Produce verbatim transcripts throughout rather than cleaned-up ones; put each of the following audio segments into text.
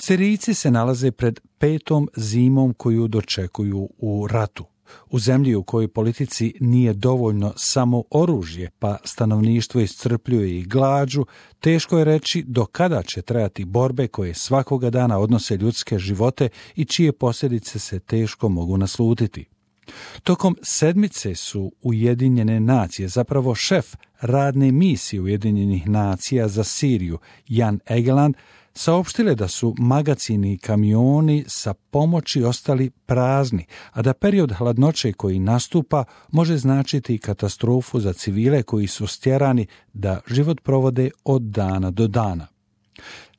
Sirijci se nalaze pred petom zimom koju dočekuju u ratu. U zemlji u kojoj politici nije dovoljno samo oružje, pa stanovništvo iscrpljuje i glađu, teško je reći do kada će trajati borbe koje svakoga dana odnose ljudske živote i čije posljedice se teško mogu naslutiti. Tokom sedmice su Ujedinjene nacije, zapravo šef radne misije Ujedinjenih nacija za Siriju, Jan Egeland, saopštile da su magacini i kamioni sa pomoći ostali prazni, a da period hladnoće koji nastupa može značiti katastrofu za civile koji su stjerani da život provode od dana do dana.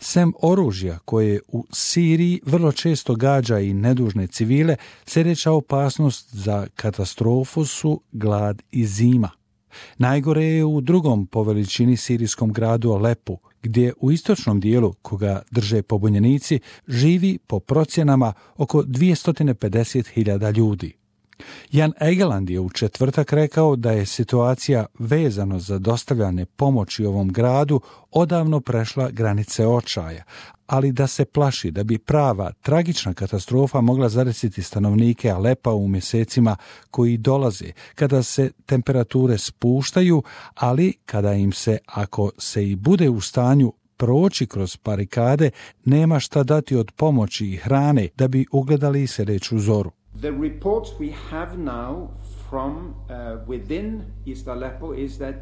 Sem oružja koje u Siriji vrlo često gađa i nedužne civile, sljedeća opasnost za katastrofu su glad i zima. Najgore je u drugom po veličini sirijskom gradu Alepu, gdje u istočnom dijelu, koga drže pobunjenici, živi po procjenama oko dvjesto pedeset hiljada ljudi. Jan Egeland je u četvrtak rekao da je situacija vezano za dostavljane pomoći ovom gradu odavno prešla granice očaja, ali da se plaši da bi prava tragična katastrofa mogla zadesiti stanovnike Alepa u mjesecima koji dolaze, kada se temperature spuštaju, ali kada im se, ako se i bude u stanju proći kroz barikade, nema šta dati od pomoći i hrane da bi ugledali sljedeću zoru. The reports we have now from uh, within East Aleppo is that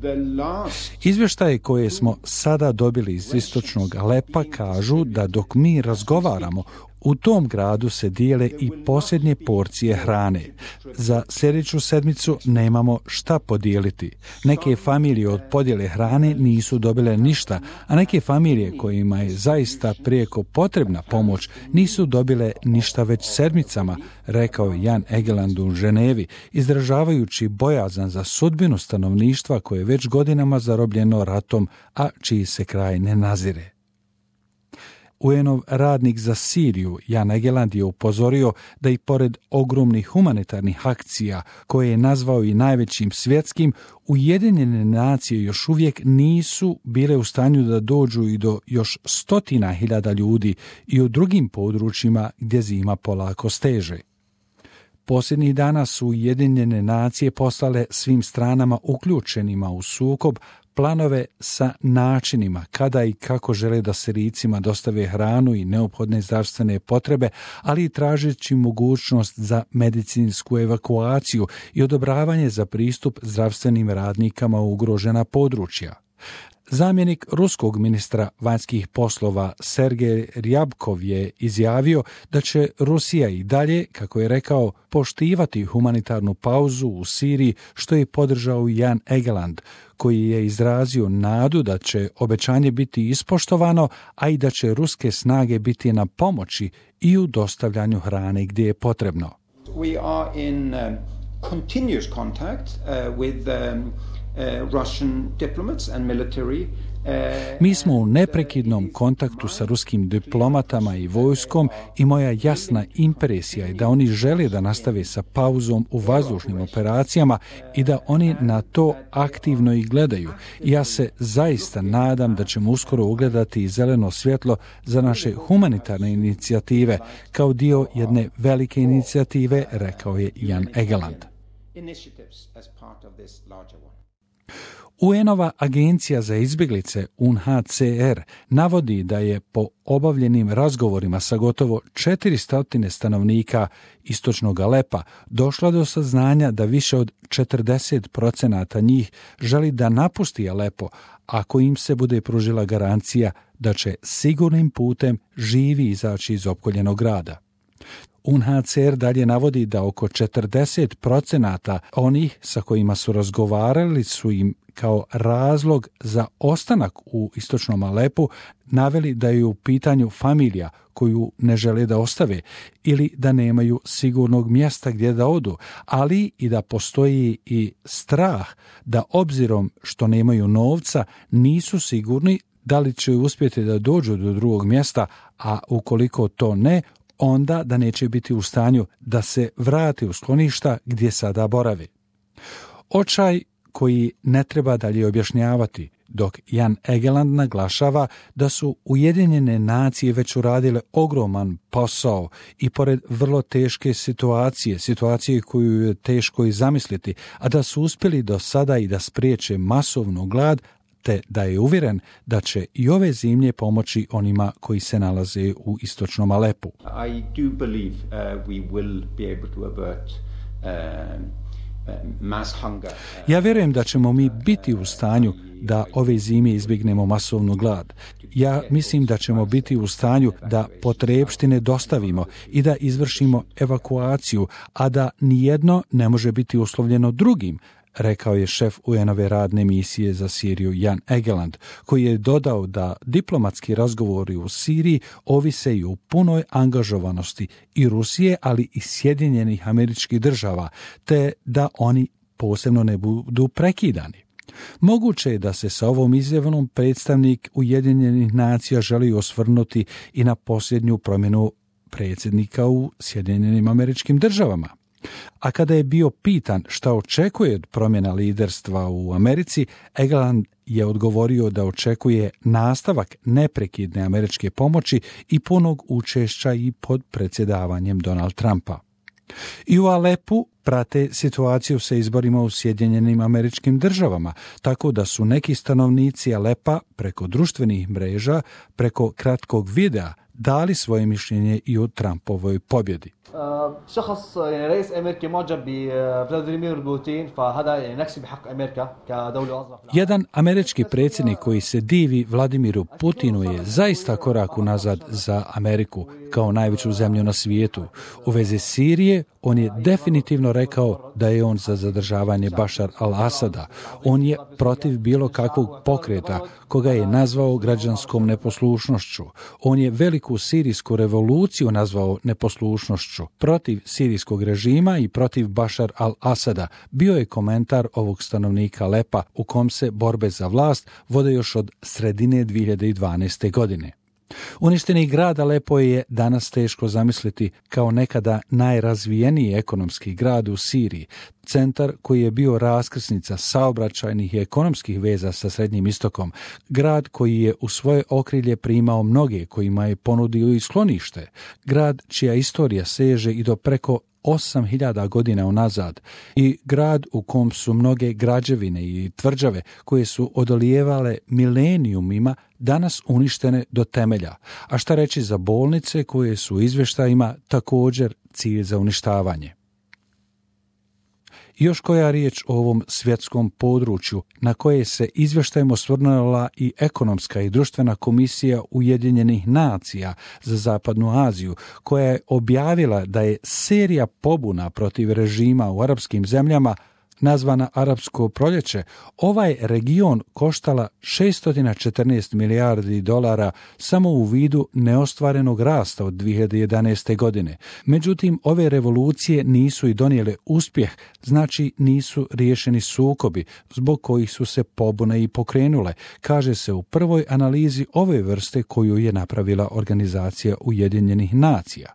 the last... Izvještaje koje smo sada dobili iz istočnog Alepa kažu da dok mi razgovaramo, u tom gradu se dijele i posljednje porcije hrane. Za sljedeću sedmicu nemamo šta podijeliti. Neke familije od podjele hrane nisu dobile ništa, a neke familije kojima je zaista prijeko potrebna pomoć nisu dobile ništa već sedmicama, rekao je Jan Egeland u Ženevi, izražavajući bojazan za sudbinu stanovništva koje je već godinama zarobljeno ratom, a čiji se kraj ne nazire. U en-ov radnik za Siriju, Jan Egeland, je upozorio da i pored ogromnih humanitarnih akcija, koje je nazvao i najvećim svjetskim, Ujedinjene nacije još uvijek nisu bile u stanju da dođu i do još stotina hiljada ljudi i u drugim područjima gdje zima polako steže. Posljednjih dana su Ujedinjene nacije poslale svim stranama uključenima u sukob planove sa načinima kada i kako žele da Sirijcima dostave hranu i neophodne zdravstvene potrebe, ali i tražeći mogućnost za medicinsku evakuaciju i odobravanje za pristup zdravstvenim radnikama u ugrožena područja. Zamjenik ruskog ministra vanjskih poslova Sergej Ryabkov je izjavio da će Rusija i dalje, kako je rekao, poštivati humanitarnu pauzu u Siriji, što je podržao Jan Egeland, koji je izrazio nadu da će obećanje biti ispoštovano, a i da će ruske snage biti na pomoći i u dostavljanju hrane gdje je potrebno. We are in um, continuous contact uh, with um, uh, Russian diplomats and military. Mi smo u neprekidnom kontaktu sa ruskim diplomatama i vojskom i moja jasna impresija je da oni žele da nastave sa pauzom u vazdušnim operacijama i da oni na to aktivno i gledaju. I ja se zaista nadam da ćemo uskoro ugledati i zeleno svjetlo za naše humanitarne inicijative kao dio jedne velike inicijative, rekao je Jan Egeland. U en-ova agencija za izbjeglice U N H C R navodi da je po obavljenim razgovorima sa gotovo četiristo stanovnika istočnog Alepa došla do saznanja da više od četrdeset procenata njih želi da napusti Alepo ako im se bude pružila garancija da će sigurnim putem živi izaći iz opkoljenog grada. U N H C R dalje navodi da oko četrdeset procenata onih sa kojima su razgovarali su im kao razlog za ostanak u istočnom Alepu naveli da je u pitanju familija koju ne žele da ostave ili da nemaju sigurnog mjesta gdje da odu, ali i da postoji i strah da obzirom što nemaju novca nisu sigurni da li će uspjeti da dođu do drugog mjesta, a ukoliko to ne, onda da neće biti u stanju da se vrati u skloništa gdje sada boravi. Očaj koji ne treba dalje objašnjavati. dok Jan Egeland naglašava da su Ujedinjene nacije već uradile ogroman posao i pored vrlo teške situacije, situacije koju je teško i zamisliti, a da su uspjeli do sada i da spriječe masovnu glad, te da je uvjeren da će i ove zimlje pomoći onima koji se nalaze u istočnom Alepu. I do believe uh, we will be able to avert uh, mass hunger. Ja vjerujem da ćemo mi biti u stanju da ove zime izbjegnemo masovnu glad. Ja mislim da ćemo biti u stanju da potrepštine dostavimo i da izvršimo evakuaciju, a da nijedno ne može biti uslovljeno drugim, rekao je šef U N-ove radne misije za Siriju Jan Egeland, koji je dodao da diplomatski razgovori u Siriji ovise i u punoj angažovanosti i Rusije, ali i Sjedinjenih Američkih Država, te da oni posebno ne budu prekidani. Moguće je da se sa ovom izjavom predstavnik Ujedinjenih nacija želi osvrnuti i na posljednju promjenu predsjednika u Sjedinjenim Američkim Državama. A kada je bio pitan šta očekuje od promjena liderstva u Americi, Egeland je odgovorio da očekuje nastavak neprekidne američke pomoći i punog učešća i pod predsjedavanjem Donald Trumpa. I u Alepu prate situaciju sa izborima u Sjedinjenim Američkim Državama, tako da su neki stanovnici Alepa preko društvenih mreža, preko kratkog videa, dali svoje mišljenje i o Trumpovoj pobjedi. شخص يعني رئيس أمريكي معجب بفلاديمير بوتين فهذا يعني نكسب بحق أمريكا كدولة أصغر. Jedan američki predsjednik koji se divi Vladimiru Putinu je zaista korak unazad za Ameriku kao najveću zemlju na svijetu. U vezi Sirije on je definitivno rekao da je on za zadržavanje Bašar al-Asada. On je protiv bilo kakvog pokreta koga je nazvao građanskom neposlušnošću. On je veliku sirijsku revoluciju nazvao neposlušnošću. Protiv sirijskog režima i protiv Bašar al-Asada bio je komentar ovog stanovnika Alepa u kom se borbe za vlast vode još od sredine dvije hiljade dvanaeste. godine. Uništeni grad Alepo je danas teško zamisliti kao nekada najrazvijeniji ekonomski grad u Siriji, centar koji je bio raskrsnica saobraćajnih i ekonomskih veza sa Srednjim istokom, grad koji je u svoje okrilje primao mnoge kojima je ponudio i sklonište, grad čija istorija seže i do preko osam hiljada godina unazad i grad u kom su mnoge građevine i tvrđave koje su odolijevale milenijumima danas uništene do temelja, a šta reći za bolnice koje su u izvještajima također cilj za uništavanje. Još koja riječ o ovom svjetskom području na koje se izvještajem osvrnula i ekonomska i društvena komisija Ujedinjenih nacija za Zapadnu Aziju, koja je objavila da je serija pobuna protiv režima u arapskim zemljama nazvana Arapsko proljeće, ovaj region koštala šesto četrnaest milijardi dolara samo u vidu neostvarenog rasta od dvije hiljade jedanaeste. godine. Međutim, ove revolucije nisu i donijele uspjeh, znači nisu riješeni sukobi zbog kojih su se pobune i pokrenule, kaže se u prvoj analizi ove vrste koju je napravila Organizacija Ujedinjenih nacija.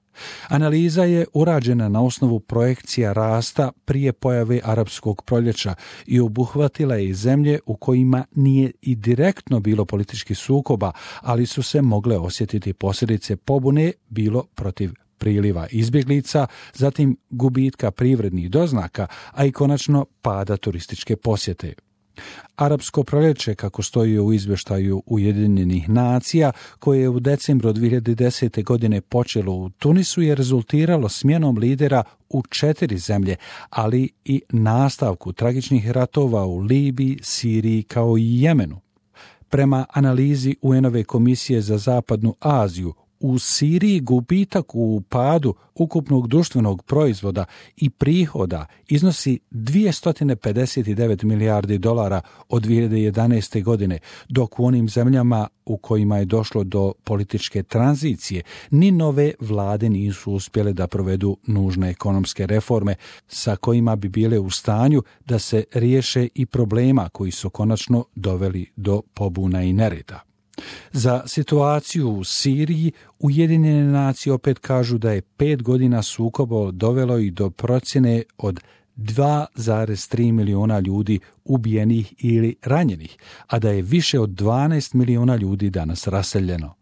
Analiza je urađena na osnovu projekcija rasta prije pojave Arapskog proljeća i obuhvatila je i zemlje u kojima nije i direktno bilo političkih sukoba, ali su se mogle osjetiti posljedice pobune bilo protiv priliva izbjeglica, zatim gubitka privrednih doznaka, a i konačno pada turističke posjete. Arapsko proljeće, kako stoji u izvještaju Ujedinjenih nacija, koje je u decembru dvije hiljade desete. godine počelo u Tunisu, je rezultiralo smjenom lidera u četiri zemlje, ali i nastavku tragičnih ratova u Libiji, Siriji kao i Jemenu. Prema analizi U N-ove komisije za Zapadnu Aziju, u Siriji gubitak u padu ukupnog društvenog proizvoda i prihoda iznosi dvjesto pedeset devet milijardi dolara od dvije hiljade jedanaeste. godine, dok u onim zemljama u kojima je došlo do političke tranzicije ni nove vlade nisu uspjele da provedu nužne ekonomske reforme sa kojima bi bile u stanju da se riješe i problema koji su konačno doveli do pobuna i nereda. Za situaciju u Siriji Ujedinjene nacije opet kažu da je pet godina sukoba dovelo i do procjene od dva zarez tri miliona ljudi ubijenih ili ranjenih, a da je više od dvanaest miliona ljudi danas raseljeno.